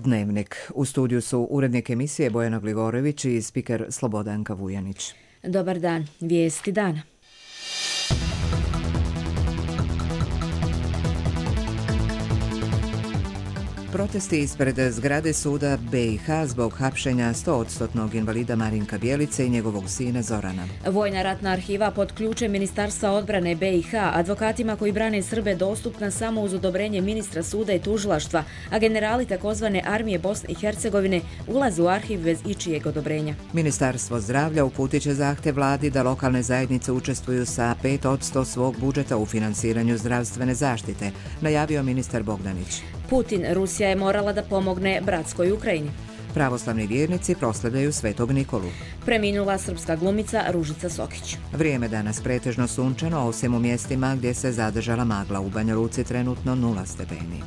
Dnevnik. U studiju su urednik emisije Bojana Glivorević i spiker Slobodanka Vujanić. Dobar dan, vijesti dana. Protesti ispred zgrade suda BiH zbog hapšenja 100% invalida Marinka Bjelice i njegovog sina Zorana. Vojna ratna arhiva pod ključem Ministarstva odbrane BiH advokatima koji brane Srbe dostupna samo uz odobrenje ministra suda i tužilaštva, a generali takozvane armije Bosne i Hercegovine ulaze u arhiv bez ičijeg odobrenja. Ministarstvo zdravlja uputit će zahtjev vladi da lokalne zajednice učestvuju sa 5% svog budžeta u finansiranju zdravstvene zaštite, najavio ministar Bogdanić. Putin, Rusija je morala da pomogne bratskoj Ukrajini. Pravoslavni vjernici proslavljaju Svetog Nikolu. Preminula srpska glumica Ružica Sokić. Vrijeme danas pretežno sunčano, osim u mjestima gdje se zadržala magla. U Banja Luci trenutno 0 stepeni.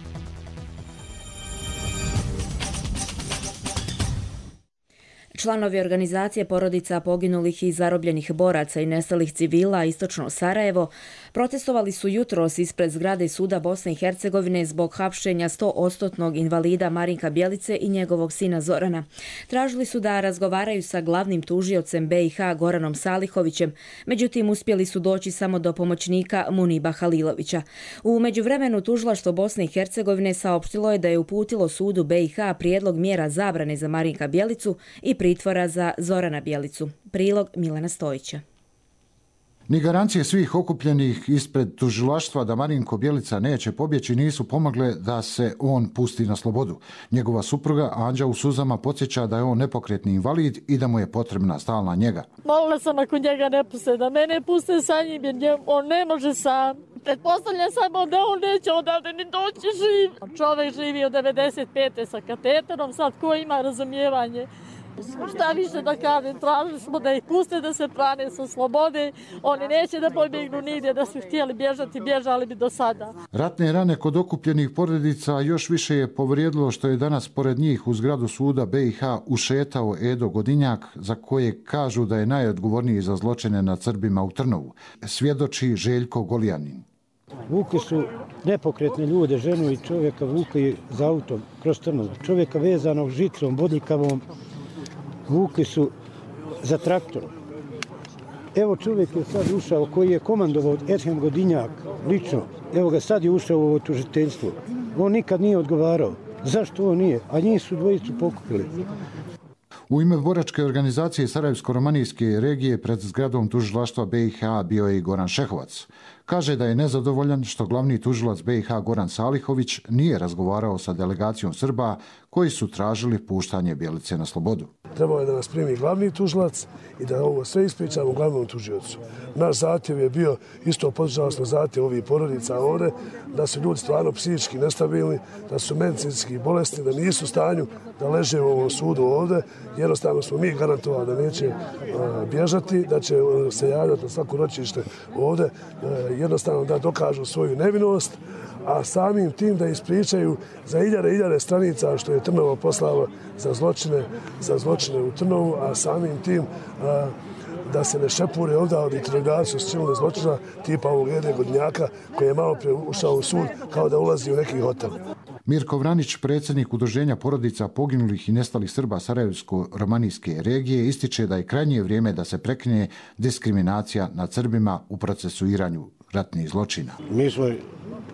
Članovi organizacije porodica poginulih i zarobljenih boraca i nestalih civila istočno Sarajevo protestovali su jutros ispred zgrade suda Bosne i Hercegovine zbog hapšenja 100% invalida Marinka Bjelice i njegovog sina Zorana. Tražili su da razgovaraju sa glavnim tužiocem BiH Goranom Salihovićem, međutim uspjeli su doći samo do pomoćnika Muniba Halilovića. U međuvremenu tužilaštvo Bosne i Hercegovine saopštilo je da je uputilo sudu BiH prijedlog mjera zabrane za Marinka Bjelicu i pritvora za Zorana Bjelicu. Prilog Milana Stojića. Ni garancije svih okupljenih ispred tužilaštva da Marinko Bjelica neće pobjeći nisu pomogle da se on pusti na slobodu. Njegova supruga Anđa u suzama podsjeća da je on nepokretni invalid i da mu je potrebna stalna njega. Molila sam ako njega ne puste, da mene puste sa njim jer on ne može sam. Pretpostavljam samo da on neće odavde ni doći živ. Čovjek živi od 95. sa kateterom, sad ko ima razumijevanje? Šta više da kažem, tražili smo da ih puste da se brane sa slobode, oni neće da pobjegnu nigdje, da su htjeli bježati, bježali bi do sada. Ratne rane kod okupljenih porodica još više je povrijedilo što je danas pored njih u zgradu suda BiH ušetao Edo Godinjak, za koje kažu da je najodgovorniji za zločine nad Srbima u Trnovu. Svjedoči Željko Golijanin. Vukli su nepokretne ljude, ženu i čovjeka vukli za autom kroz Trnovu. Čovjeka vezanog žicom, bodljikavom, vukli su za traktorom. Evo čovjek je sad ušao koji je komandovao Edhem Godinjak lično. Evo ga sad je ušao u ovo tužiteljstvo. On nikad nije odgovarao. Zašto on nije? A njih su dvojicu pokupili. U ime boračke organizacije Sarajevsko-romanijske regije pred zgradom tužilaštva BiH bio je i Goran Šehovac. Kaže da je nezadovoljan što glavni tužilac BiH Goran Salihović nije razgovarao sa delegacijom Srba koji su tražili puštanje Bjelice na slobodu. Trebao je da nas primi glavni tužilac i da ovo sve ispričamo glavnom tužiocu. Naš zahtjev je bio, isto podržao smo zahtjev ovih porodica ovdje, da su ljudi stvarno psihički nestabilni, da su medicinski bolesni, da nisu u stanju da leže u ovom sudu ovdje. Jednostavno smo mi garantovali da neće bježati, da će se javljati na svako ročište ovdje, jednostavno da dokažu svoju nevinost, a samim tim da ispričaju za hiljade stranica što je Trnovo poslalo za zločine u Trnovu, a samim tim da se ne šepure ovdje od interrogaciju s činile zločina tipa ovog Ede Godinjaka koji je malo prije ušao u sud kao da ulazi u neki hotel. Mirko Vranić, predsjednik Udruženja porodica poginulih i nestalih Srba Sarajevsko-romanijske regije, ističe da je krajnje vrijeme da se prekine diskriminacija nad Srbima u procesuiranju ratnih zločina. Mi smo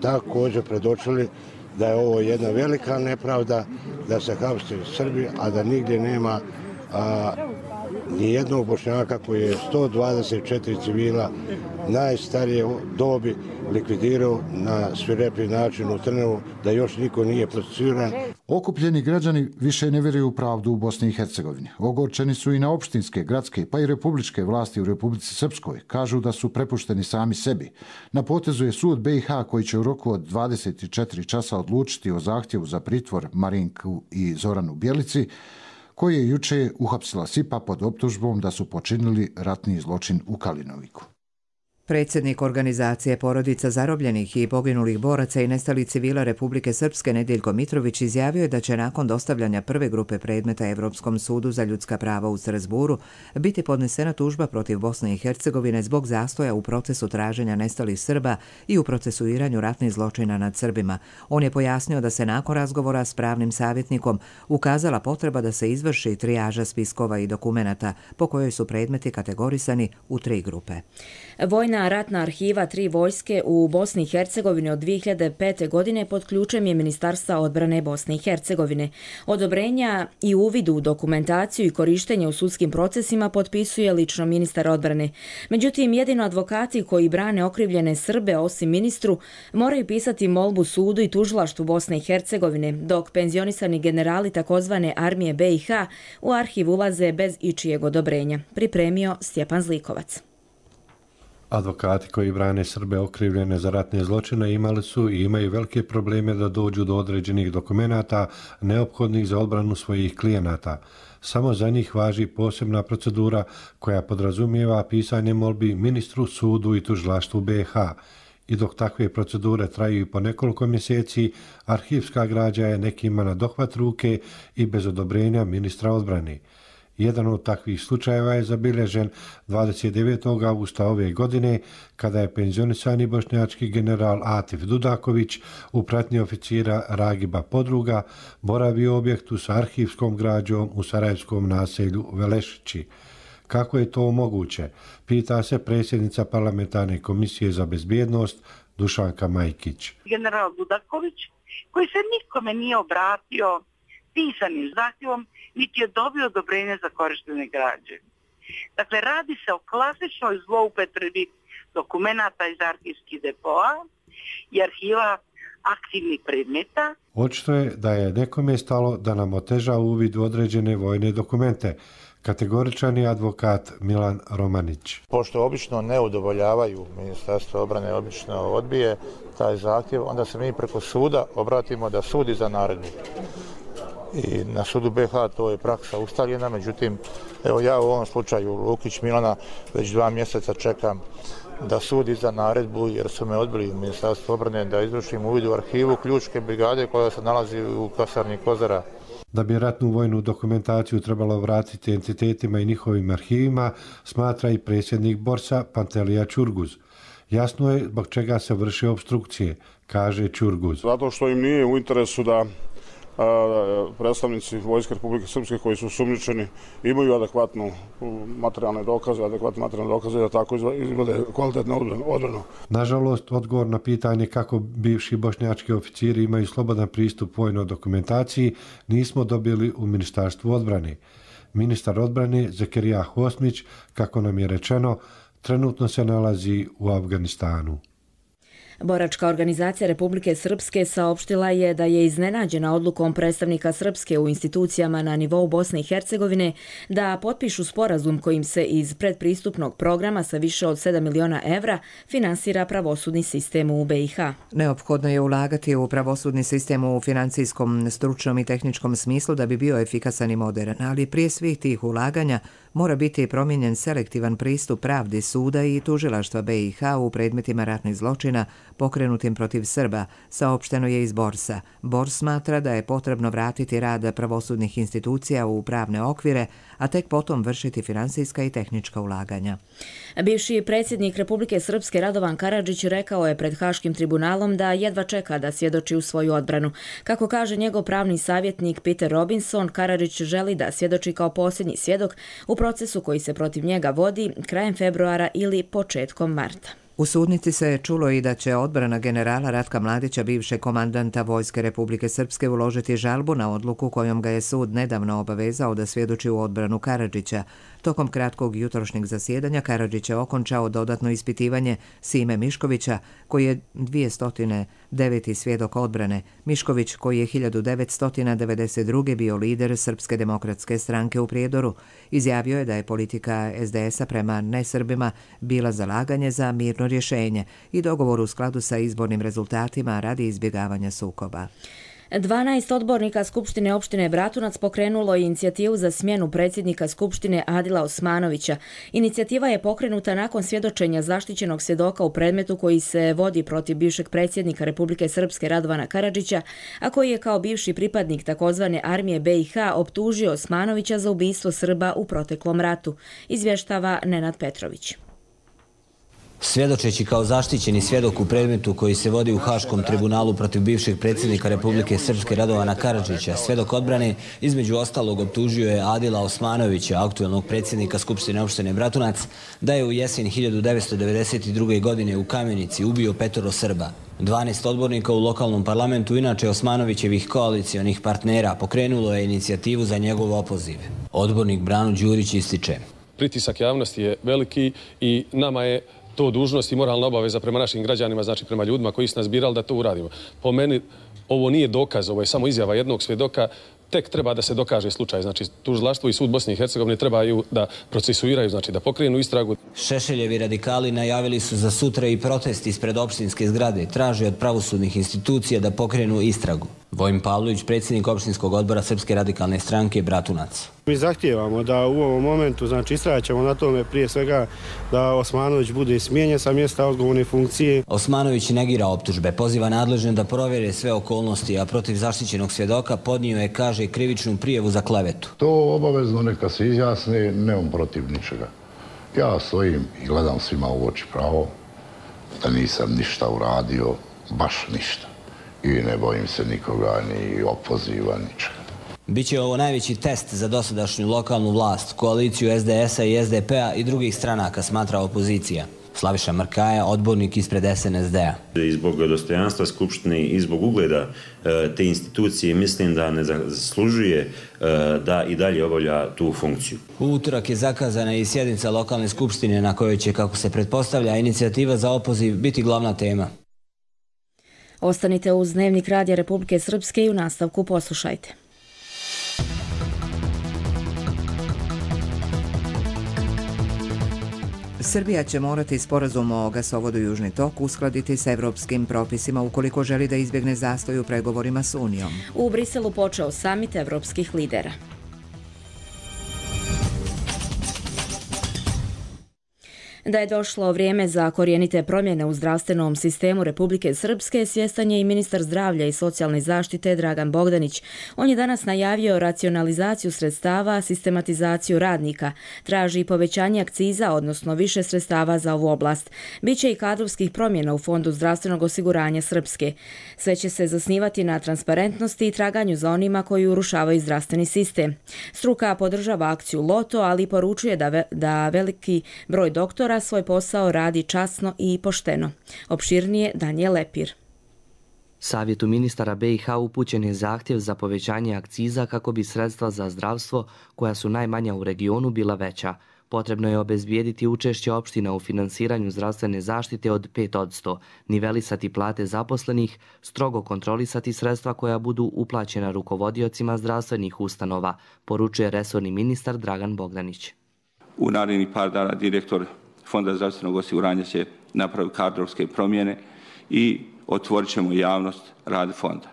također predočili da je ovo jedna velika nepravda, da se hapse Srbi, a da nigdje nema nijednog Bošnjaka koji je 124 civila najstarije dobi likvidirao na svirepi način u Trnovu, da još niko nije procesuiran. Okupljeni građani više ne vjeruju u pravdu u Bosni i Hercegovini. Ogorčeni su i na opštinske, gradske pa i republičke vlasti u Republici Srpskoj. Kažu da su prepušteni sami sebi. Na potezu je sud BiH koji će u roku od 24 časa odlučiti o zahtjevu za pritvor Marinku i Zoranu Bjelici, koji je juče uhapsila SIPA pod optužbom da su počinili ratni zločin u Kalinoviku. Predsjednik organizacije porodica zarobljenih i poginulih boraca i nestalih civila Republike Srpske Nedeljko Mitrović izjavio je da će nakon dostavljanja prve grupe predmeta Evropskom sudu za ljudska prava u Strazburu biti podnesena tužba protiv Bosne i Hercegovine zbog zastoja u procesu traženja nestalih Srba i u procesuiranju ratnih zločina nad Srbima. On je pojasnio da se nakon razgovora s pravnim savjetnikom ukazala potreba da se izvrši trijaža spiskova i dokumenata po kojoj su predmeti kategorisani u 3 grupe. Vojna ratna arhiva 3 vojske u Bosni i Hercegovini od 2005. godine pod ključem je Ministarstva odbrane Bosne i Hercegovine. Odobrenja i uvid u dokumentaciju i korištenje u sudskim procesima potpisuje lično ministar odbrane. Međutim, jedino advokati koji brane okrivljene Srbe, osim ministru, moraju pisati molbu sudu i tužilaštvu Bosne i Hercegovine, dok penzionisani generali takozvane armije BiH u arhiv ulaze bez ičijeg odobrenja. Pripremio Stjepan Zlikovac. Advokati koji brane Srbe okrivljene za ratne zločine imali su i imaju velike probleme da dođu do određenih dokumenata neophodnih za odbranu svojih klijenata. Samo za njih važi posebna procedura koja podrazumijeva pisanje molbi ministru, sudu i tužilaštvu BiH. I dok takve procedure traju i po nekoliko mjeseci, arhivska građa je nekima na dohvat ruke i bez odobrenja ministra odbrane. Jedan od takvih slučajeva je zabilježen 29. augusta ove godine, kada je penzionisani bošnjački general Atif Dudaković u pratnji oficira Ragiba Podruga boravio u objektu sa arhivskom građom u sarajevskom naselju Velešići. Kako je to moguće? Pita se predsjednica parlamentarne komisije za bezbjednost Dušanka Majkić. General Dudaković, koji se nikome nije obratio pisanim zahtjevom, niti je dobio odobrenje za korištenje građe. Dakle, radi se o klasičnoj zloupotrebi dokumenata iz arhivskih depoa i arhiva aktivnih predmeta. Očito je da je nekome stalo da nam oteža uvid u određene vojne dokumente. Kategoričan je advokat Milan Romanić. Pošto obično ne udovoljavaju, Ministarstvo obrane obično odbije taj zahtjev, onda se mi preko suda obratimo da sud izda naredbu. I na sudu BiH to je praksa ustaljena, međutim, evo ja u ovom slučaju Lukić Milana već 2 mjeseca čekam da sud izda naredbu jer su me odbili u Ministarstvu obrane da izvršim uvid u arhivu ključke brigade koja se nalazi u kasarni Kozara. Da bi ratnu vojnu dokumentaciju trebalo vratiti entitetima i njihovim arhivima, smatra i predsjednik Borsa Pantelija Ćurguz. Jasno je zbog čega se vrše obstrukcije, kaže Ćurguz. Zato što im nije u interesu da predstavnici Vojske Republike Srpske koji su osumnjičeni imaju adekvatne materijalne dokaze da tako izvode kvalitetnu odbranu. Nažalost, odgovor na pitanje kako bivši bošnjački oficiri imaju slobodan pristup vojnoj dokumentaciji nismo dobili u Ministarstvu odbrane. Ministar odbrane Zekirija Hosmić, kako nam je rečeno, trenutno se nalazi u Afganistanu. Boračka organizacija Republike Srpske saopštila je da je iznenađena odlukom predstavnika Srpske u institucijama na nivou Bosne i Hercegovine da potpišu sporazum kojim se iz predpristupnog programa sa više od 7 miliona evra finansira pravosudni sistem u BiH. Neophodno je ulagati u pravosudni sistem u financijskom, stručnom i tehničkom smislu da bi bio efikasan i modern, ali prije svih tih ulaganja mora biti promijenjen selektivan pristup pravdi suda i tužilaštva BiH u predmetima ratnih zločina pokrenutim protiv Srba, saopšteno je iz Borsa. Bors smatra da je potrebno vratiti rad pravosudnih institucija u pravne okvire, a tek potom vršiti finansijska i tehnička ulaganja. Bivši predsjednik Republike Srpske Radovan Karadžić rekao je pred Haškim tribunalom da jedva čeka da svjedoči u svoju odbranu. Kako kaže njegov pravni savjetnik Peter Robinson, Karadžić želi da svjedoči kao posljednji svjedok u procesu koji se protiv njega vodi krajem februara ili početkom marta. U sudnici se čulo i da će odbrana generala Ratka Mladića, bivšeg komandanta Vojske Republike Srpske, uložiti žalbu na odluku kojom ga je sud nedavno obavezao da svjedoči u odbranu Karadžića. Tokom kratkog jutrošnjeg zasjedanja Karadžić je okončao dodatno ispitivanje Sime Miškovića, koji je 209. svjedok odbrane. Mišković, koji je 1992. bio lider Srpske demokratske stranke u Prijedoru, izjavio je da je politika SDS-a prema nesrbima bila zalaganje za mirno rješenje i dogovor u skladu sa izbornim rezultatima radi izbjegavanja sukoba. 12 odbornika Skupštine opštine Bratunac pokrenulo je inicijativu za smjenu predsjednika Skupštine Adila Osmanovića. Inicijativa je pokrenuta nakon svjedočenja zaštićenog svjedoka u predmetu koji se vodi protiv bivšeg predsjednika Republike Srpske Radovana Karadžića, a koji je kao bivši pripadnik takozvane armije BiH optužio Osmanovića za ubistvo Srba u proteklom ratu, izvještava Nenad Petrović. Svjedočeći kao zaštićeni svjedok u predmetu koji se vodi u Haškom tribunalu protiv bivšeg predsjednika Republike Srpske Radovana Karadžića, svjedok odbrane između ostalog optužio je Adila Osmanovića, aktuelnog predsjednika Skupštine opštine Bratunac, da je u jesen 1992. godine u Kamenici ubio 5 Srba. 12 odbornika u lokalnom parlamentu, inače Osmanovićevih koalicijonih partnera, pokrenulo je inicijativu za njegov opoziv. Odbornik Brano Đurić ističe: pritisak javnosti je veliki i nama je to dužnost i moralna obaveza prema našim građanima, znači prema ljudima koji su nas birali da to uradimo. Po meni ovo nije dokaz, ovo je samo izjava jednog svjedoka, tek treba da se dokaže slučaj. Znači tužilaštvo i sud Bosne i Hercegovine trebaju da procesuiraju, znači da pokrenu istragu. Šešeljevi radikali najavili su za sutra i protest ispred opštinske zgrade, traže od pravosudnih institucija da pokrenu istragu. Vojin Pavlović, predsjednik opštinskog odbora Srpske radikalne stranke Bratunac. Mi zahtijevamo da u ovom momentu, znači istraćemo na tome prije svega da Osmanović bude smijenjen sa mjesta odgovorne funkcije. Osmanović negira optužbe, poziva nadležne da provjere sve okolnosti, a protiv zaštićenog svjedoka podnio je, kaže, krivičnu prijavu za klevetu. To obavezno neka se izjasne, nemam protiv ničega. Ja stojim i gledam svima u oči pravo da nisam ništa uradio, baš ništa. I ne bojim se nikoga, ni opoziva, ničega. Biće ovo najveći test za dosadašnju lokalnu vlast, koaliciju SDS-a i SDP-a i drugih stranaka, smatra opozicija. Slaviša Mrkaja, odbornik ispred SNSD-a. I zbog dostojanstva Skupštine i zbog ugleda te institucije mislim da ne zaslužuje da i dalje obavlja tu funkciju. U utorak je zakazana i sjednica lokalne skupštine na kojoj će, kako se pretpostavlja, inicijativa za opoziv biti glavna tema. Ostanite uz Dnevnik Radija Republike Srpske i u nastavku poslušajte. Srbija će morati sporazum o gasovodu Južni tok uskladiti sa evropskim propisima ukoliko želi da izbjegne zastoj u pregovorima s Unijom. U Briselu počeo samit evropskih lidera. Da je došlo vrijeme za korijenite promjene u zdravstvenom sistemu Republike Srpske, svjestan je i ministar zdravlja i socijalne zaštite Dragan Bogdanić. On je danas najavio racionalizaciju sredstava, sistematizaciju radnika, traži povećanje akciza, odnosno više sredstava za ovu oblast. Biće i kadrovskih promjena u Fondu zdravstvenog osiguranja Srpske. Sve će se zasnivati na transparentnosti i traganju za onima koji urušavaju zdravstveni sistem. Struka podržava akciju Loto, ali poručuje da veliki broj doktora svoj posao radi časno i pošteno. Opširnije Danijel Lepir. Savjetu ministara BiH upućen je zahtjev za povećanje akciza kako bi sredstva za zdravstvo, koja su najmanja u regionu, bila veća. Potrebno je obezbijediti učešće opština u finansiranju zdravstvene zaštite od 5%, nivelisati plate zaposlenih, strogo kontrolisati sredstva koja budu uplaćena rukovodiocima zdravstvenih ustanova, poručuje resorni ministar Dragan Bogdanić. U narednih par dana direktor Fonda zdravstvenog osiguranja će napraviti kadrovske promjene i otvorit ćemo javnost rad fonda.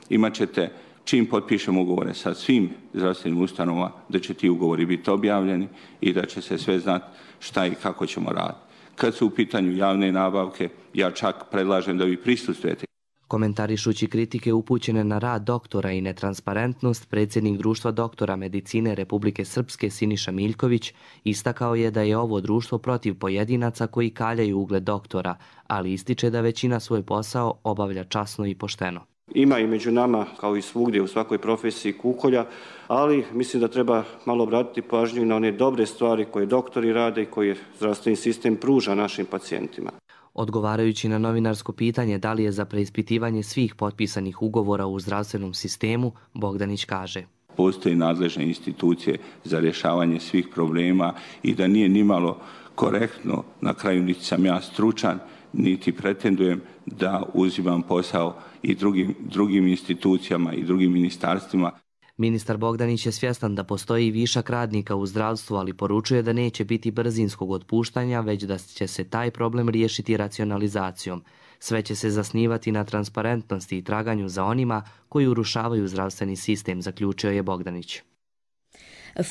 Imaćete, čim potpišemo ugovore sa svim zdravstvenim ustanovama, da će ti ugovori biti objavljeni i da će se sve znati šta i kako ćemo raditi. Kad su u pitanju javne nabavke, ja čak predlažem da vi prisustvujete. Komentarišući kritike upućene na rad doktora i netransparentnost, predsjednik Društva doktora medicine Republike Srpske Siniša Miljković istakao je da je ovo društvo protiv pojedinaca koji kaljaju ugled doktora, ali ističe da većina svoj posao obavlja časno i pošteno. Ima i među nama, kao i svugdje u svakoj profesiji, kukolja, ali mislim da treba malo obratiti pažnju na one dobre stvari koje doktori rade i koje zdravstveni sistem pruža našim pacijentima. Odgovarajući na novinarsko pitanje da li je za preispitivanje svih potpisanih ugovora u zdravstvenom sistemu, Bogdanić kaže: Postoje nadležne institucije za rješavanje svih problema i da nije nimalo korektno, na kraju niti sam ja stručan, niti pretendujem da uzimam posao i drugim institucijama i drugim ministarstvima. Ministar Bogdanić je svjestan da postoji višak radnika u zdravstvu, ali poručuje da neće biti brzinskog otpuštanja, već da će se taj problem riješiti racionalizacijom. Sve će se zasnivati na transparentnosti i traganju za onima koji urušavaju zdravstveni sistem, zaključio je Bogdanić.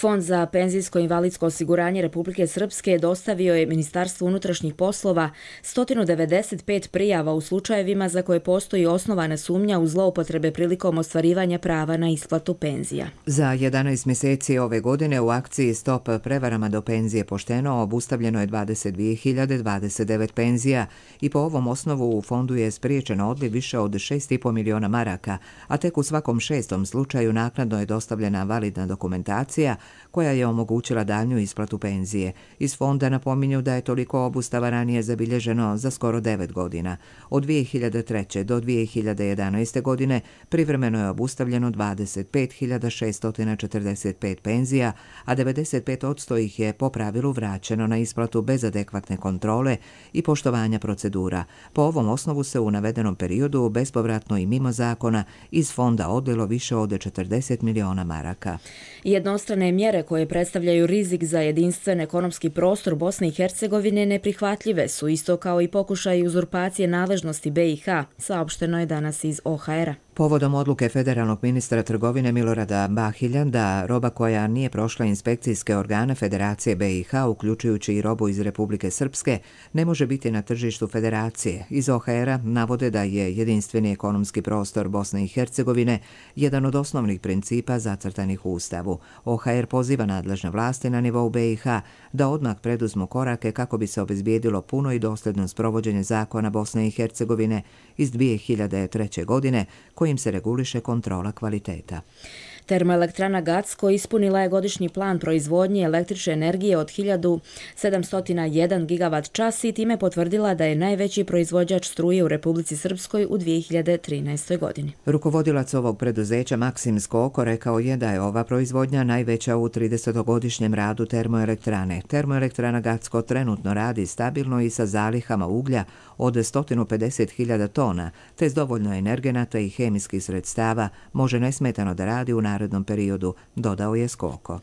Fond za penzijsko i invalidsko osiguranje Republike Srpske dostavio je Ministarstvu unutrašnjih poslova 195 prijava u slučajevima za koje postoji osnovana sumnja u zloupotrebe prilikom ostvarivanja prava na isplatu penzija. Za 11 mjeseci ove godine u akciji Stop prevarama do penzije pošteno obustavljeno je 22.029 penzija i po ovom osnovu u fondu je spriječeno odliv više od 6,5 miliona maraka, a tek u svakom 6. slučaju naknadno je dostavljena validna dokumentacija koja je omogućila daljnju isplatu penzije. Iz fonda napominju da je toliko obustava ranije zabilježeno za skoro 9 godina. Od 2003. do 2011. godine privremeno je obustavljeno 25.645 penzija, a 95% ih je po pravilu vraćeno na isplatu bez adekvatne kontrole i poštovanja procedura. Po ovom osnovu se u navedenom periodu bespovratno i mimo zakona iz fonda odlilo više od 40 miliona maraka. Jednostrane mjere koje predstavljaju rizik za jedinstven ekonomski prostor Bosne i Hercegovine neprihvatljive su, isto kao i pokušaj uzurpacije nadležnosti BiH, saopšteno je danas iz OHR-a. Povodom odluke federalnog ministra trgovine Milorada Bahilja da roba koja nije prošla inspekcijske organe Federacije BiH, uključujući i robu iz Republike Srpske, ne može biti na tržištu Federacije. Iz OHR-a navode da je jedinstveni ekonomski prostor Bosne i Hercegovine jedan od osnovnih principa zacrtanih u Ustavu. OHR poziva nadležne vlasti na nivou BiH da odmah preduzmu korake kako bi se obezbijedilo puno i dosljedno sprovođenje zakona Bosne i Hercegovine iz 2003. godine kojim se reguliše kontrola kvaliteta. Termoelektrana Gacko ispunila je godišnji plan proizvodnje električne energije od 1701 gigavat-čas i time potvrdila da je najveći proizvođač struje u Republici Srpskoj u 2013. godini. Rukovodilac ovog preduzeća Maksim Skoko rekao je da je ova proizvodnja najveća u 30-godišnjem radu termoelektrane. Termoelektrana Gacko trenutno radi stabilno i sa zalihama uglja od 150.000 tona, te s dovoljno energenata i hemijskih sredstava može nesmetano da radi u narednom periodu, dodao je Skoko.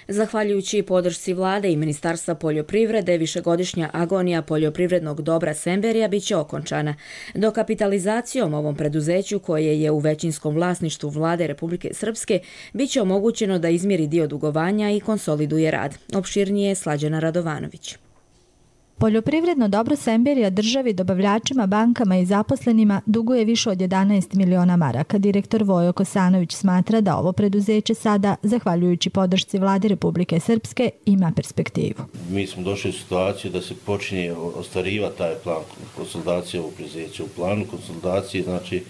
Zahvaljujući podršci vlade i Ministarstva poljoprivrede, višegodišnja agonija poljoprivrednog dobra Semberija biće okončana. Dokapitalizacijom ovom preduzeću, koje je u većinskom vlasništvu vlade Republike Srpske, biće omogućeno da izmiri dio dugovanja i konsoliduje rad. Opširnije je Slađana Radovanović. Poljoprivredno dobro Semberija državi, dobavljačima, bankama i zaposlenima duguje više od 11 miliona maraka. Direktor Vojo Kosanović smatra da ovo preduzeće sada, zahvaljujući podršci vlade Republike Srpske, ima perspektivu. Mi smo došli u situaciju da se počinje ostvarivati taj plan konsolidacije ovog preduzeća. U planu konsolidacije znači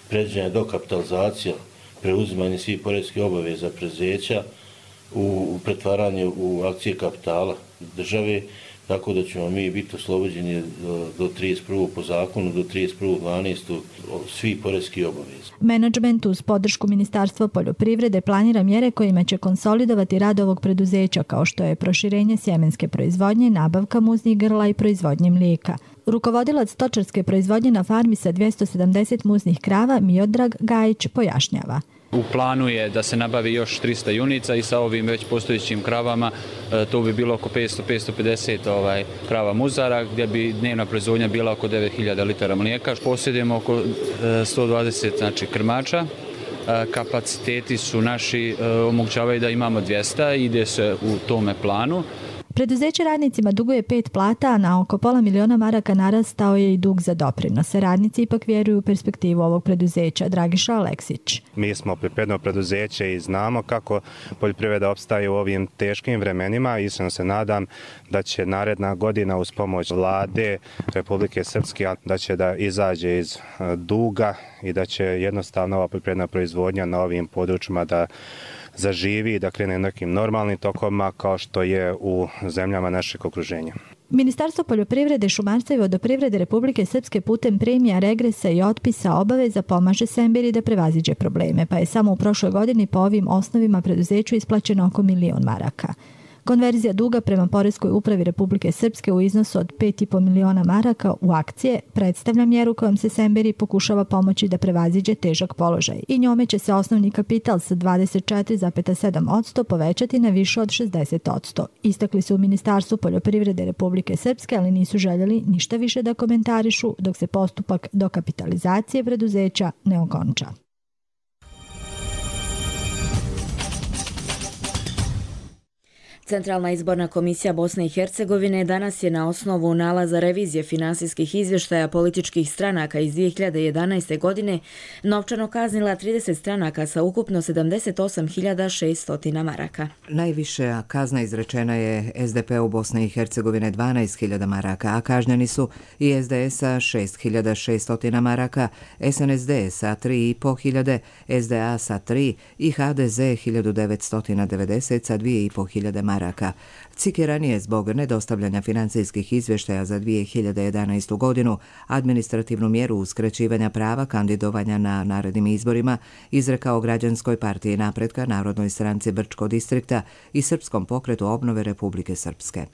predviđena dokapitalizacija, preuzimanje svih poreskih obaveza preduzeća u pretvaranje u akcije kapitala države, tako da ćemo mi biti oslobođeni do 31. po zakonu, do 31.12. svih poreskih obaveza. Menadžment uz podršku Ministarstva poljoprivrede planira mjere kojima će konsolidovati rad ovog preduzeća, kao što je proširenje sjemenske proizvodnje, nabavka muznih grla i proizvodnje mlijeka. Rukovodilac stočarske proizvodnje na farmi sa 270 muznih krava Miodrag Gajić pojašnjava. U planu je da se nabavi još 300 junica i sa ovim već postojećim kravama to bi bilo oko 500-550 krava muzara, gdje bi dnevna proizvodnja bila oko 9000 litara mlijeka. Posjedujemo oko 120 krmača. Kapaciteti su naši, omogućavaju da imamo 200, ide se u tome planu. Preduzeće radnicima duguje 5 plata, a na oko pola miliona maraka narastao je i dug za doprinose. Radnici ipak vjeruju u perspektivu ovog preduzeća. Dragiša Aleksić. Mi smo poljoprivredno preduzeće i znamo kako poljoprivreda opstaje u ovim teškim vremenima. Iskreno se nadam da će naredna godina uz pomoć vlade Republike Srpske da će da izađe iz duga i da će jednostavno ova poljoprivredna proizvodnja na ovim područjima da zaživi i da krene nekim normalnim tokovima kao što je u zemljama našeg okruženja. Ministarstvo poljoprivrede, šumarstva i vodoprivrede Republike Srpske putem premija, regresa i otpisa obaveza pomaže Semberiji da prevaziđe probleme, pa je samo u prošloj godini po ovim osnovima preduzeću isplaćeno oko 1 milion maraka. Konverzija duga prema Poreskoj upravi Republike Srpske u iznosu od 5,5 miliona maraka u akcije predstavlja mjeru kojom se Semberi pokušava pomoći da prevaziđe težak položaj i njome će se osnovni kapital sa 24,7% povećati na više od 60%. Istakli su u Ministarstvu poljoprivrede Republike Srpske, ali nisu željeli ništa više da komentarišu dok se postupak dokapitalizacije preduzeća ne okonča. Centralna izborna komisija Bosne i Hercegovine danas je na osnovu nalaza revizije finansijskih izvještaja političkih stranaka iz 2011. godine novčano kaznila 30 stranaka sa ukupno 78.600 maraka. Najviše kazna izrečena je SDP-u Bosne i Hercegovine 12.000 maraka, a kažnjeni su i SDS-a 6.600 maraka, SNSD sa 3.500, SDA sa 3 i HDZ 1.990 sa 2.500 maraka. CIK je ranije zbog nedostavljanja financijskih izvještaja za 2011. godinu administrativnu mjeru uskraćivanja prava kandidovanja na narednim izborima izrekao Građanskoj partiji napretka, Narodnoj stranci Brčko distrikta i Srpskom pokretu obnove Republike Srpske.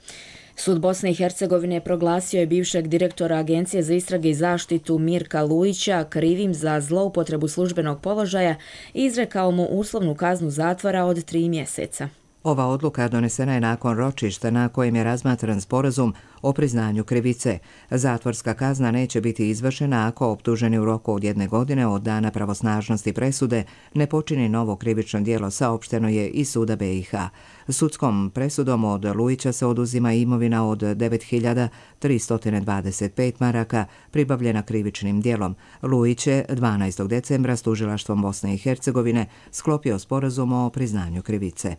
Sud Bosne i Hercegovine proglasio je bivšeg direktora Agencije za istrage i zaštitu Mirka Lujića krivim za zloupotrebu službenog položaja i izrekao mu uslovnu kaznu zatvora od 3 mjeseca. Ova odluka donesena je nakon ročišta na kojem je razmatran sporazum o priznanju krivice. Zatvorska kazna neće biti izvršena ako optuženi u roku od 1 godine od dana pravosnažnosti presude ne počini novo krivično djelo, saopšteno je iz suda BiH. Sudskom presudom od Lujića se oduzima imovina od 9.325 maraka pribavljena krivičnim djelom. Lujić je 12. decembra s tužilaštvom Bosne i Hercegovine sklopio sporazum o priznanju krivice.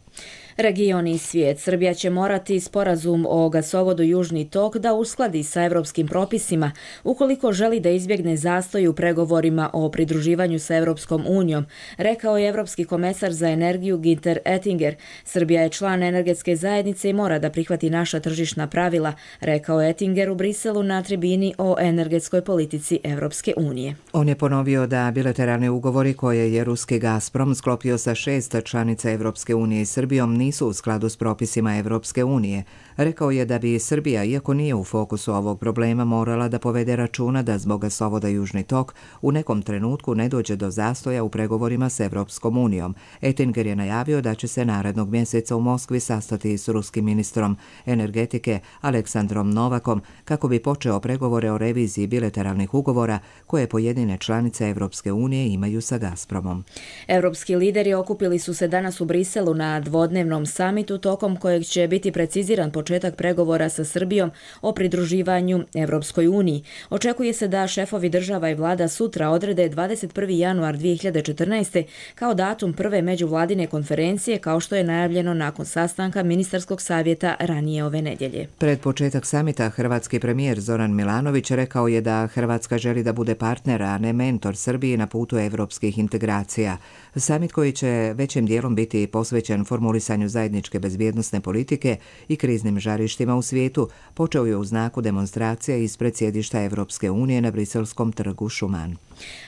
Region i svijet. Srbija će morati sporazum o gasovodu Južni tok da uskladi sa evropskim propisima ukoliko želi da izbjegne zastoj u pregovorima o pridruživanju sa Evropskom unijom, rekao je evropski komesar za energiju Günther Oettinger. Srbija je član energetske zajednice i mora da prihvati naša tržišna pravila, rekao je Oettinger u Briselu na tribini o energetskoj politici Evropske unije. On je ponovio da bilateralni ugovori koje je ruski Gazprom sklopio sa 6 članica Evropske unije i Srbijom nisu u skladu s propisima Evropske unije. Rekao je da bi Srbija, iako nije u fokusu ovog problema, morala da povede računa da zbog gasovoda Južni tok u nekom trenutku ne dođe do zastoja u pregovorima s Evropskom unijom. Oettinger je najavio da će se narednog mjeseca u Moskvi sastati s ruskim ministrom energetike Aleksandrom Novakom kako bi počeo pregovore o reviziji bilateralnih ugovora koje pojedine članice Evropske unije imaju sa Gazpromom. Evropski lideri okupili su se danas u Briselu na dvodnevnom samitu tokom kojeg će biti preciziran početak pregovora sa Srbijom o pridruživanju Evropskoj uniji. Očekuje se da šefovi država i vlada sutra odrede 21. januar 2014. kao datum prve međuvladine konferencije, kao što je najavljeno nakon sastanka ministarskog savjeta ranije ove nedjelje. Pred početak samita hrvatski premijer Zoran Milanović rekao je da Hrvatska želi da bude partner, a ne mentor Srbiji na putu evropskih integracija. Samit koji će većim dijelom biti posvećen formulisanju zajedničke bezbjednosne politike i kriznim žarištima u svijetu počeo je u znaku demonstracija ispred sjedišta Evropske unije na briselskom trgu Šuman.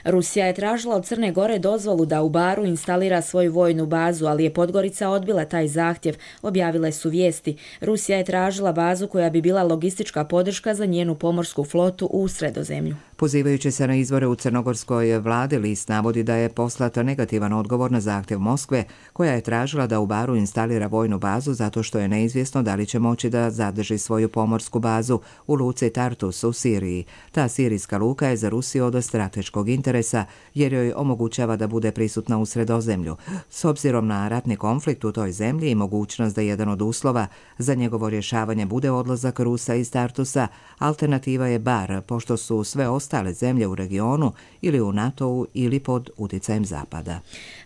Rusija je tražila od Crne Gore dozvolu da u Baru instalira svoju vojnu bazu, ali je Podgorica odbila taj zahtjev, objavile su vijesti. Rusija je tražila bazu koja bi bila logistička podrška za njenu pomorsku flotu u Sredozemlju. Pozivajući se na izvore u crnogorskoj vladi, list navodi da je poslat negativan odgovor na zahtjev Moskve, koja je tražila da u Baru instalira vojnu bazu zato što je neizvjesno da li će moći da zadrži svoju pomorsku bazu u luci Tartus u Siriji. Ta sirijska luka je za Rusiju od strateškog interesa jer joj omogućava da bude prisutna u Sredozemlju. S obzirom na ratni konflikt u toj zemlji i mogućnost da jedan od uslova za njegovo rješavanje bude odlazak Rusa iz Tartusa, alternativa je Bar, pošto su sve ostale zemlje u regionu ili u NATO-u ili pod utjecajem Zapada.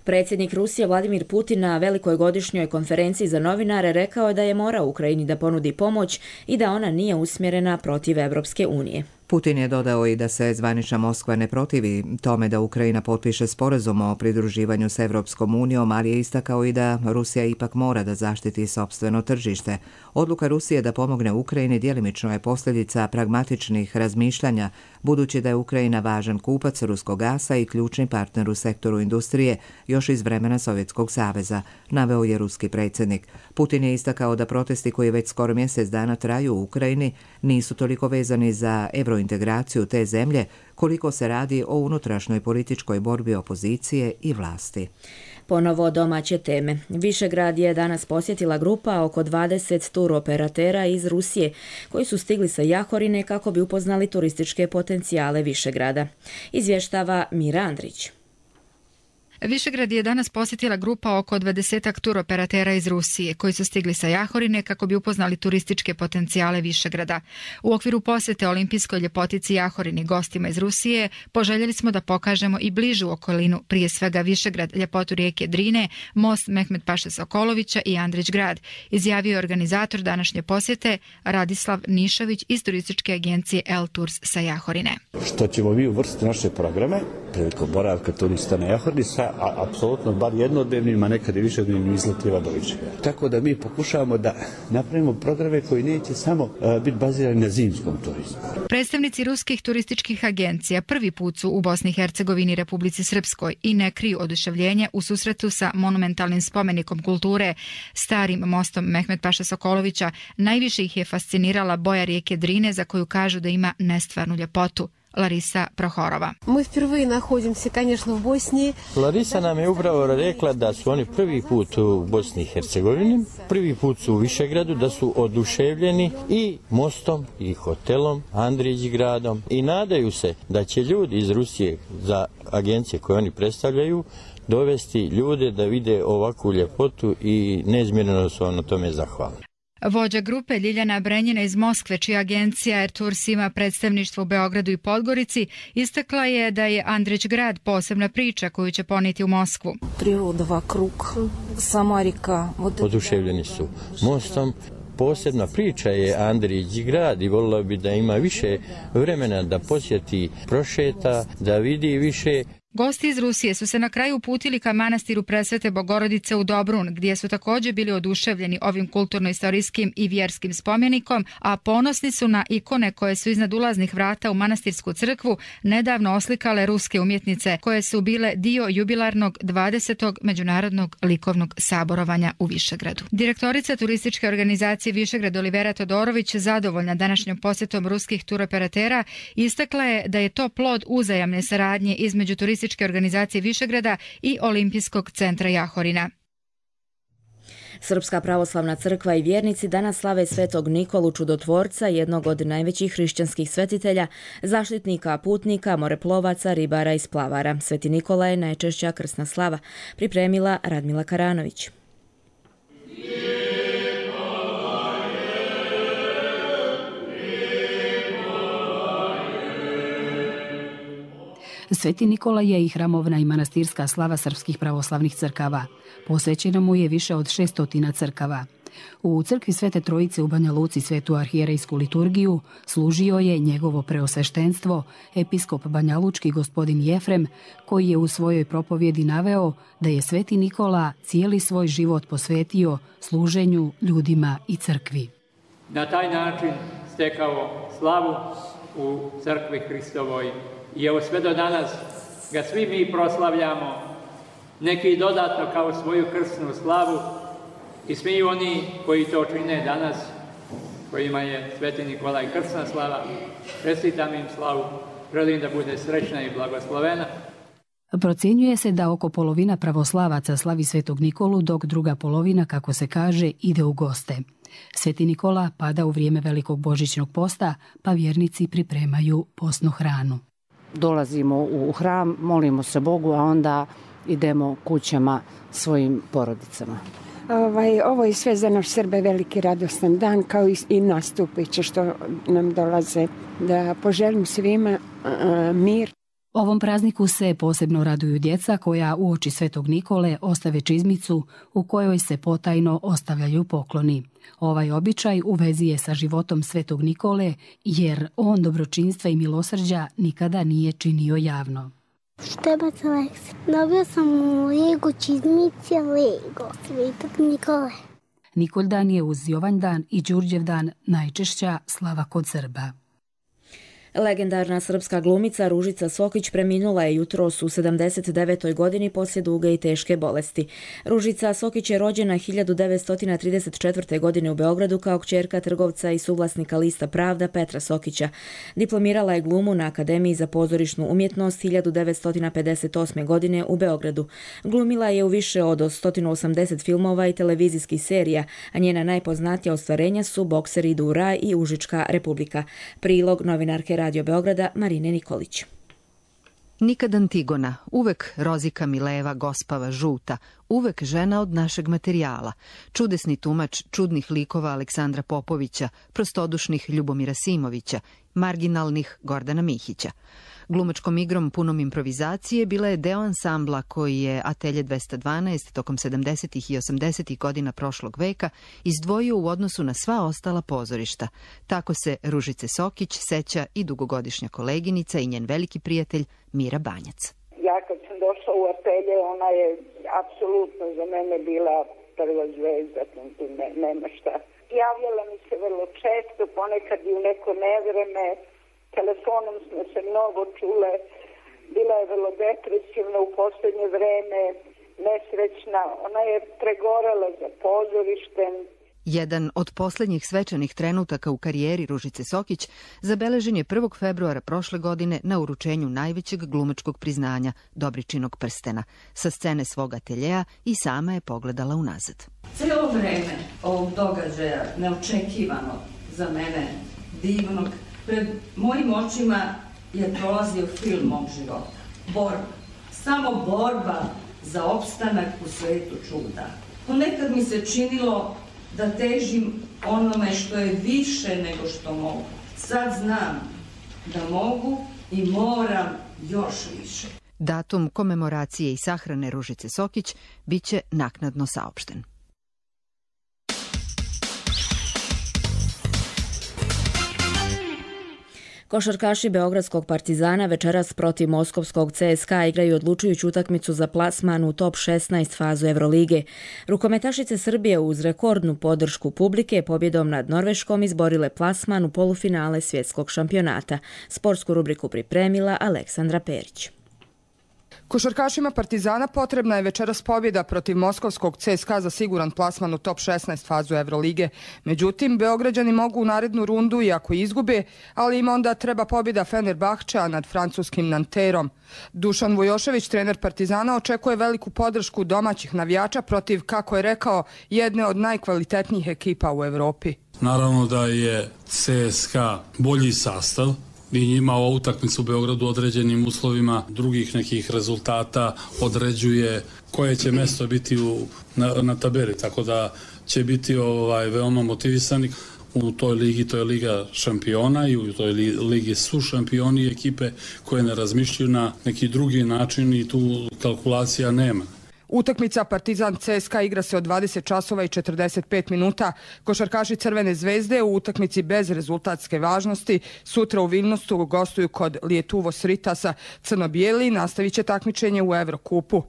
Predsjednik Rusije Vladimir Putin na velikoj godišnjoj konferenciji za novinare rekao je da je morao Ukrajini da ponudi pomoć i da ona nije usmjerena protiv Evropske unije. Putin je dodao i da se zvanična Moskva ne protivi tome da Ukrajina potpiše sporazum o pridruživanju s Evropskom unijom, ali je istakao i da Rusija ipak mora da zaštiti sopstveno tržište. Odluka Rusije da pomogne Ukrajini djelimično je posljedica pragmatičnih razmišljanja, budući da je Ukrajina važan kupac ruskog gasa i ključni partner u sektoru industrije još iz vremena Sovjetskog saveza, naveo je ruski predsjednik. Putin je istakao da protesti koji već skoro mjesec dana traju u Ukrajini nisu toliko vezani za eurointegraciju te zemlje koliko se radi o unutrašnjoj političkoj borbi opozicije i vlasti. Ponovo domaće teme. Višegrad je danas posjetila grupa oko 20 turoperatera iz Rusije koji su stigli sa Jahorine kako bi upoznali turističke potencijale Višegrada. Izvještava Mira Andrić. Višegrad je danas posjetila grupa oko 20 turoperatera iz Rusije koji su stigli sa Jahorine kako bi upoznali turističke potencijale Višegrada. U okviru posjete olimpijskoj ljepotici Jahorini gostima iz Rusije poželjeli smo da pokažemo i bližu okolinu, prije svega Višegrad, ljepotu rijeke Drine, most Mehmet Paše Sokolovića i Andrić grad, izjavio je organizator današnje posjete Radislav Nišović iz turističke agencije El Tours sa Jahorine. Što ćemo mi uvrstiti naše programe prilikom boravka turista na Jahorini sa apsolutno bar jednodnevnim, a nekad i višednevnim izletima do Višegrada. Tako da mi pokušavamo da napravimo programe koji neće samo biti bazirani na zimskom turizmu. Predstavnici ruskih turističkih agencija prvi put su u Bosni i Hercegovini, Republici Srpskoj i ne kriju oduševljenje u susretu sa monumentalnim spomenikom kulture, starim mostom Mehmet Paše Sokolovića. Najviše ih je fascinirala boja rijeke Drine za koju kažu da ima nestvarnu ljepotu. Larisa Prohorova. Mi prvi nahodimo se, конечно, u Bosni. Larisa nam je upravo rekla da su oni prvi put u Bosni i Hercegovini, prvi put su u Višegradu, da su oduševljeni i mostom i hotelom, Andrić gradom i nadaju se da će ljudi iz Rusije za agencije koje oni predstavljaju dovesti ljude da vide ovakvu ljepotu i neizmjerno su vam na tome zahvalni. Vođa grupe Ljiljana Brenjina iz Moskve, čija agencija Air Tours ima predstavništvo u Beogradu i Podgorici, istakla je da je Andrić grad posebna priča koju će ponijeti u Moskvu. Priroda vakrug, sama rika. Oduševljeni su mostom. Posebna priča je Andrić grad i volila bi da ima više vremena da posjeti, prošeta, da vidi više. Gosti iz Rusije su se na kraju uputili ka manastiru Presvete Bogorodice u Dobrun, gdje su također bili oduševljeni ovim kulturno-istorijskim i vjerskim spomenikom, a ponosni su na ikone koje su iznad ulaznih vrata u manastirsku crkvu nedavno oslikale ruske umjetnice, koje su bile dio jubilarnog 20. međunarodnog likovnog saborovanja u Višegradu. Direktorica turističke organizacije Višegrad Olivera Todorović, zadovoljna današnjom posjetom ruskih turoperatera, istakla je da je to plod uzajamne saradnje između turističke organizacije Višegrada i Olimpijskog centra Jahorina. Srpska pravoslavna crkva i vjernici danas slave Svetog Nikolu Čudotvorca, jednog od najvećih hrišćanskih svetitelja, zaštitnika putnika, moreplovaca, ribara i splavara. Sveti Nikola je najčešća krsna slava, pripremila Radmila Karanović. Sveti Nikola je i hramovna i manastirska slava srpskih pravoslavnih crkava. Posvećeno mu je više od 600 crkava. U crkvi Svete Trojice u Banja Luci svetu arhijerejsku liturgiju služio je njegovo preosveštenstvo, episkop banjalučki gospodin Jefrem, koji je u svojoj propovjedi naveo da je Sveti Nikola cijeli svoj život posvetio služenju ljudima i crkvi. Na taj način stekao slavu u crkvi Hristovoj. I evo sve do danas ga svi mi proslavljamo, neki dodatno kao svoju krsnu slavu i svi oni koji to čine danas, kojima je Sveti Nikolaj krsna slava, čestitam im slavu, želim da bude srećna i blagoslovena. Procjenjuje se da oko polovina pravoslavaca slavi Svetog Nikolu, dok druga polovina, kako se kaže, ide u goste. Sveti Nikola pada u vrijeme Velikog božićnog posta, pa vjernici pripremaju postnu hranu. Dolazimo u hram, molimo se Bogu, a onda idemo kućama svojim porodicama. Ovo je sve za naš Srbe veliki radostan dan, kao i nastupiće što nam dolaze. Da poželim svima mir. Ovom prazniku se posebno raduju djeca koja uoči Svetog Nikole ostave čizmicu u kojoj se potajno ostavljaju pokloni. Ovaj običaj u vezi je sa životom Svetog Nikole jer on dobročinstva i milosrđa nikada nije činio javno. Štebac Aleksa. Dobio sam u Lego čizmice Lego Svetog Nikole. Nikoljdan je uz Jovanjdan i Đurđevdan najčešća slava kod Srba. Legendarna srpska glumica Ružica Sokić preminula je jutros u 79. godini poslije duge i teške bolesti. Ružica Sokić je rođena 1934. godine u Beogradu kao kćerka trgovca i suvlasnika lista Pravda Petra Sokića. Diplomirala je glumu na Akademiji za pozorišnu umjetnost 1958. godine u Beogradu. Glumila je u više od 180 filmova i televizijskih serija, a njena najpoznatija ostvarenja su Bokser idu u raj i Užička republika. Prilog novinarke Radio Beograda Marine Nikolić. Nikad Antigona, uvek Rozika Mileva, gospava žuta, uvek žena od našeg materijala, čudesni tumač čudnih likova Aleksandra Popovića, prostodušnih Ljubomira Simovića, marginalnih Gordana Mihića. Glumačkom igrom punom improvizacije bila je deo ansambla koji je Atelje 212 tokom 70. i 80. godina prošlog veka izdvojio u odnosu na sva ostala pozorišta. Tako se Ružice Sokić seća i dugogodišnja koleginica i njen veliki prijatelj Mira Banjac. Ja kad sam došla u Atelje, ona je apsolutno za mene bila prva zvezda, tu nema šta. Javljala mi se vrlo često, ponekad i u neko nevreme. Telefonom smo se mnogo čule, bila je vrlo depresivna u posljednje vreme, nesrećna, ona je pregorala za pozorištem. Jedan od posljednjih svečanih trenutaka u karijeri Ružice Sokić zabeležen je 1. februara prošle godine na uručenju najvećeg glumačkog priznanja Dobričinog prstena. Sa scene svog ateljeja i sama je pogledala unazad. Cijelo vreme ovog događaja, neočekivano za mene, divnog, pred mojim očima je prolazio film mog života. Borba. Samo borba za opstanak u svetu čuda. Ponekad mi se činilo da težim onome što je više nego što mogu. Sad znam da mogu i moram još više. Datum komemoracije i sahrane Ružice Sokić biće naknadno saopšten. Košarkaši Beogradskog Partizana večeras protiv moskovskog CSKA igraju odlučujuću utakmicu za plasman u top 16 fazu Evrolige. Rukometašice Srbije uz rekordnu podršku publike pobjedom nad Norveškom izborile plasman u polufinale svjetskog šampionata. Sportsku rubriku pripremila Aleksandra Perić. Košarkašima Partizana potrebna je večeras pobjeda protiv moskovskog CSKA za siguran plasman u top 16 fazu Evrolige. Međutim, Beograđani mogu u narednu rundu i ako izgube, ali im onda treba pobjeda Fenerbahčea nad francuskim Nanterom. Dušan Vujošević, trener Partizana, očekuje veliku podršku domaćih navijača protiv, kako je rekao, jedne od najkvalitetnijih ekipa u Evropi. Naravno da je CSKA bolji sastav i njima ova utakmica u Beogradu određenim uslovima drugih nekih rezultata određuje koje će mesto biti na tabeli, tako da će biti veoma motivisani. U toj ligi, to je Liga šampiona i u toj ligi su šampioni ekipe koje ne razmišljaju na neki drugi način i tu kalkulacija nema. Utakmica Partizan CSKA igra se od 20 časova i 45 minuta. Košarkaši Crvene zvezde u utakmici bez rezultatske važnosti sutra u Vilnusu gostuju kod Lietuvos Ritasa. Crno-bijeli nastavit će takmičenje u Evrokupu.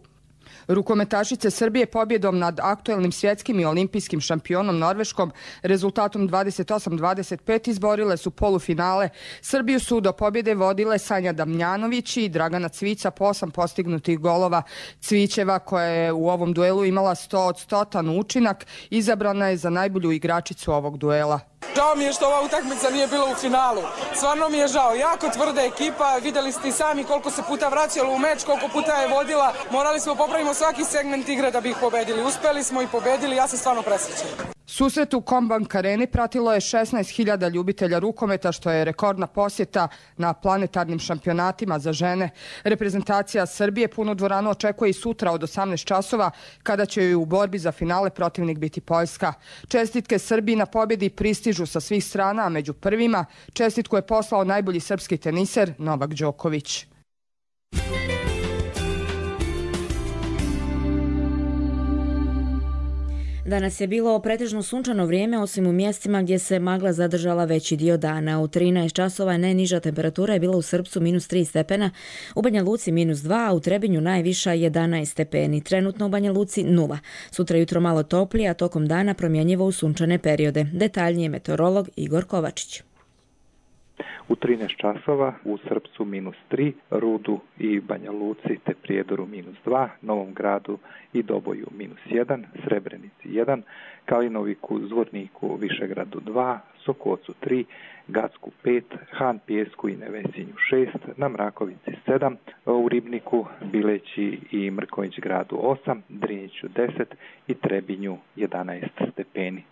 Rukometašice Srbije pobjedom nad aktuelnim svjetskim i olimpijskim šampionom Norveškom rezultatom 28-25 izborile su polufinale. Srbiju su do pobjede vodile Sanja Damljanović i Dragana Cvica po 8 postignutih golova. Cvićeva, koja je u ovom duelu imala 100 od 100 učinak, izabrana je za najbolju igračicu ovog duela. Žao mi je što ova utakmica nije bila u finalu. Stvarno mi je žao. Jako tvrda ekipa. Vidjeli ste i sami koliko se puta vraćalo u meč, koliko puta je vodila. Morali smo popravimo svaki segment igre da bi ih pobedili. Uspeli smo i pobedili. Ja sam stvarno presrećen. Susret u Kombank Areni pratilo je 16.000 ljubitelja rukometa, što je rekordna posjeta na planetarnim šampionatima za žene. Reprezentacija Srbije punu dvoranu očekuje i sutra od 18 časova, kada će joj u borbi za finale protivnik biti Poljska. Čestitke Srbiji na pobjedi pristižu sa svih strana, a među prvima čestitku je poslao najbolji srpski teniser Novak Đoković. Danas je bilo pretežno sunčano vrijeme, osim u mjestima gdje se magla zadržala veći dio dana. U 13 časova najniža temperatura je bila u Srpcu -3 stepena, u Banja Luci -2, a u Trebinju najviša 11 stepeni. Trenutno u Banja Luci 0. Sutra jutro malo toplije, a tokom dana promjenjivo u sunčane periode. Detaljnije meteorolog Igor Kovačić. U 13 časova u Srpcu -3, Rudu i Banja Luci te Prijedoru -2, Novom Gradu i Doboju -1, Srebrenici 1, Kalinoviku, Zvorniku, Višegradu 2, Sokocu 3, Gacku 5, Han Pijesku i Nevesinju 6, na Mrakovici 7, u Ribniku, Bileći i Mrkonjić gradu 8, Drinjiću 10 i Trebinju 11 stepeni.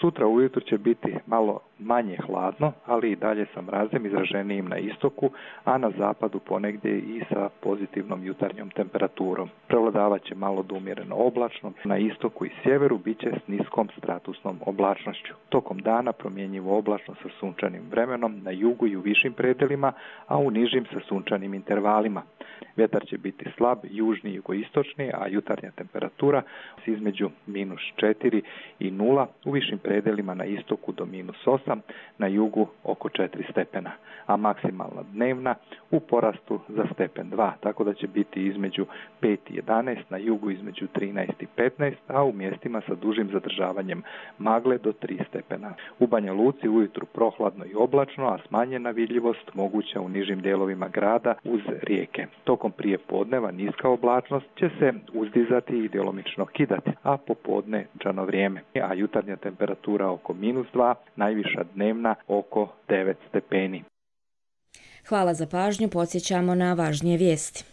Sutra ujutro će biti malo manje hladno, ali i dalje sa mrazem izraženijim na istoku, a na zapadu ponegdje i sa pozitivnom jutarnjom temperaturom. Prevladavat će malo do umjereno oblačno, na istoku i sjeveru bit će s niskom stratusnom oblačnošću. Tokom dana promjenjivo oblačno sa sunčanim vremenom na jugu i u višim predelima, a u nižim sa sunčanim intervalima. Vjetar će biti slab, južni i jugoistočni, a jutarnja temperatura između -4 i 0, u višim predelima na istoku do -8, na jugu oko 4 stepena, a maksimalna dnevna u porastu za stepen 2, tako da će biti između 5 i 11, na jugu između 13 i 15, a u mjestima sa dužim zadržavanjem magle do 3 stepena. U Banja Luci ujutru prohladno i oblačno, a smanjena vidljivost moguća u nižim dijelovima grada uz rijeke. Tokom prije podneva niska oblačnost će se uzdizati i djelomično kidati, a popodne džano vrijeme, a jutarnja temperatura oko -2, najviša dnevna oko 9 stepeni. Hvala za pažnju, podsjećamo na važnije vijesti.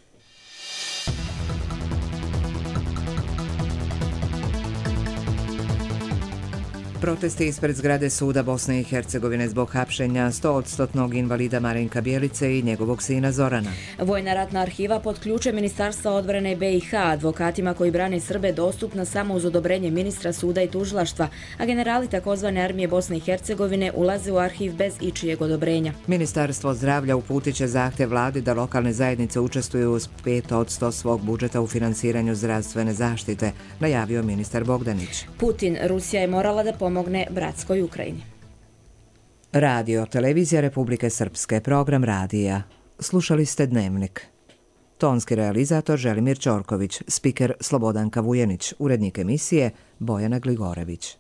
Protesti ispred zgrade suda Bosne i Hercegovine zbog hapšenja 100% invalida Marinka Bjelice i njegovog sina Zorana. Vojna ratna arhiva pod ključem Ministarstva odbrane BiH advokatima koji brane Srbe dostupna samo uz odobrenje ministra suda i tužilaštva, a generali takozvane armije Bosne i Hercegovine ulaze u arhiv bez ičijeg odobrenja. Ministarstvo zdravlja uputit će zahtjev vladi da lokalne zajednice učestvuju uz 5% svog budžeta u finansiranju zdravstvene zaštite, najavio ministar Bogdanić. Putin, Rusija je morala da pomogne bratskoj Ukrajini. Radio, televizija Republike Srpske, program radija. Slušali ste Dnevnik. Tonski realizator Želimir Ćorković, spiker Slobodanka Vujenić, urednik emisije Bojana Gligorević.